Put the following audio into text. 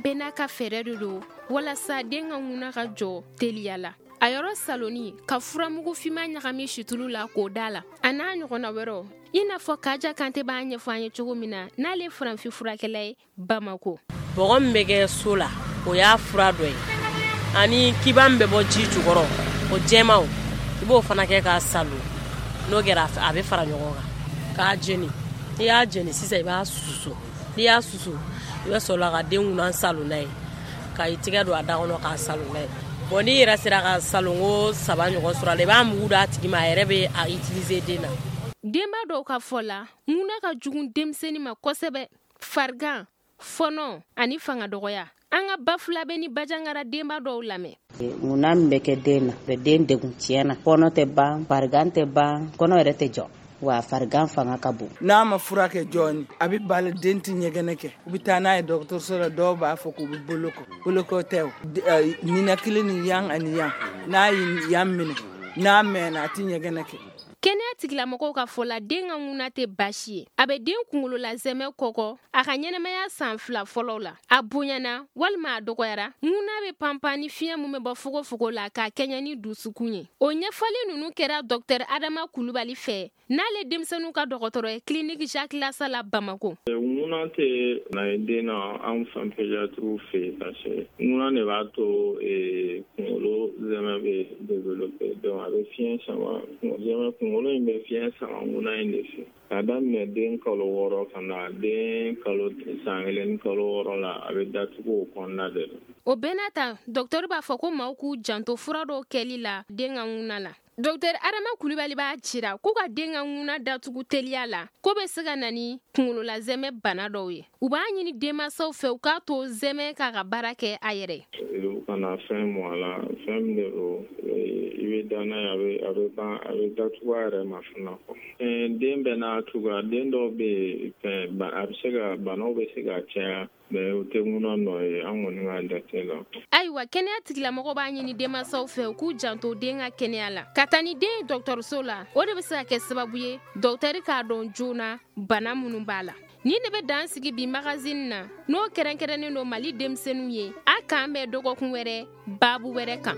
bɛɛ n'a ka fɛɛrɛ de don walasa den ka ŋuna ka jɔ teliya la. A yɔrɔ saloni ka furamugu finman ɲagami situlu la k'o da la, a n'a ɲɔgɔnna wɛrɛw, i n'a fɔ Kaja Kante b'a ɲɛfɔ an ye cogo min na, n'ale ye farafin furakɛla ye Bamako. Bɔgɔ min bɛ kɛ so la, o y'a fura dɔ ye, ani kiba min bɛ bɔ ji jukɔrɔ, o jɛman, i b'o fana kɛ k'a salo. N'o kɛra, a bɛ fara ɲɔgɔn kan k'a jeni. N'i y'a jeni sisan, i b'a susu. N'i y'a susu, i bɛ sɔrɔ ka den kunna salo n'a ye, ka i tigɛ don a da kɔnɔ k'a salo n'a ye. Bon, n'i yɛrɛ sera ka salonko 3 ɲɔgɔn sɔrɔ a la, i b'a mugu d'a tigi ma, a yɛrɛ bɛ a utiliser den na. Denba dɔw ka fɔ la, ŋuna ka jugu denmisɛnnin ma kosɛbɛ. Farigan, fɔnɔ ani fanga dɔgɔya. An ka Bafulabe ni Bajangara denba dɔw lamɛn. Ŋuna min bɛ kɛ den na, bɛ den degun tiɲɛ na. Fɔnɔ tɛ ban, farigan tɛ ban, kɔnɔ yɛrɛ tɛ jɔ. Wa farigan fanga ka bon. N'a ma furakɛ jooni, a bɛ bali, den tɛ ɲɛgɛnɛ kɛ. U bɛ taa n'a ye dɔgɔtɔrɔso la, dɔw b'a fɔ k'u bɛ bolo kɔ. Boloko tɛ o, ninakili ni yan ani yan, n'a ye yan minɛ, n'a mɛnna, a tɛ ɲɛgɛnɛ kɛ. Kɛnɛya tigilamɔgɔw ka fɔ la, den ka ŋuna tɛ baasi ye. A bɛ den kunkolo la zɛmɛ kɔkɔ a ka ɲɛnamaya san 2 fɔlɔw la. A bonyana walima a dɔgɔyara, ŋuna bɛ panpan ni fiɲɛ min bɛ bɔ fogofogo la k'a kɛɲɛ ni dusukun ye. O ɲɛfɔli ninnu kɛra Dɔkitɛri Adama Kulubali fɛ, n'ale denmisɛnninw ka dɔgɔtɔrɔ ye clinique Jacques Lassa la Bamako. Ŋuna tɛ na ye den na anw fan pédiatre fɛ yen, parce que ŋuna de b'a to kunkolo zɛmɛ bɛ développer. Donc a bɛ fiɲɛ sama, zɛmɛ kunkolo in bɛ fiɲɛ sama ŋuna in de fɛ. K'a daminɛ den kalo 6 ka na den kalo san 1 ni kalo 6 la, a bɛ datugu o kɔnɔna de la. O bɛɛ n'a ta, dɔgɔtɔrɔ b'a fɔ ko maaw k'u janto fura dɔw kɛli la den ka ŋuna la. Dɔkitɛri Adama Kulibali b'a jira k'u ka den ka ŋuna datugu teliya la, ko bɛ se ka na ni kunkololazɛmɛ bana dɔw ye. U b'a ɲini denmansaw fɛ u k'a to zɛmɛ k'a ka baara kɛ a yɛrɛ. U kana fɛn mɔ a la, fɛn min de don, i bɛ da n'a ye, a bɛ ban, a bɛ datugu a yɛrɛ ma fana kɔ. Den bɛɛ n'a cogoya, den dɔw bɛ yen, fɛn, a bɛ se ka, banaw bɛ se ka caya. Mais o tɛ ŋuna nɔ ye an kɔni ka jate la. Ayiwa, kɛnɛya tigilamɔgɔw b'a ɲini denmansaw fɛ u k'u janto den ka kɛnɛya la. Ka taa ni den ye dɔgɔtɔrɔso la, o de bɛ se ka kɛ sababu ye dɔgɔtɔrɔ k'a dɔn joona bana minnu b'a la. Nin de bɛ dan sigi bi magazine na, n'o kɛrɛnkɛrɛnnen don Mali denmisɛnninw ye. A k'an bɛn dɔgɔkun wɛrɛ, baabu wɛrɛ kan.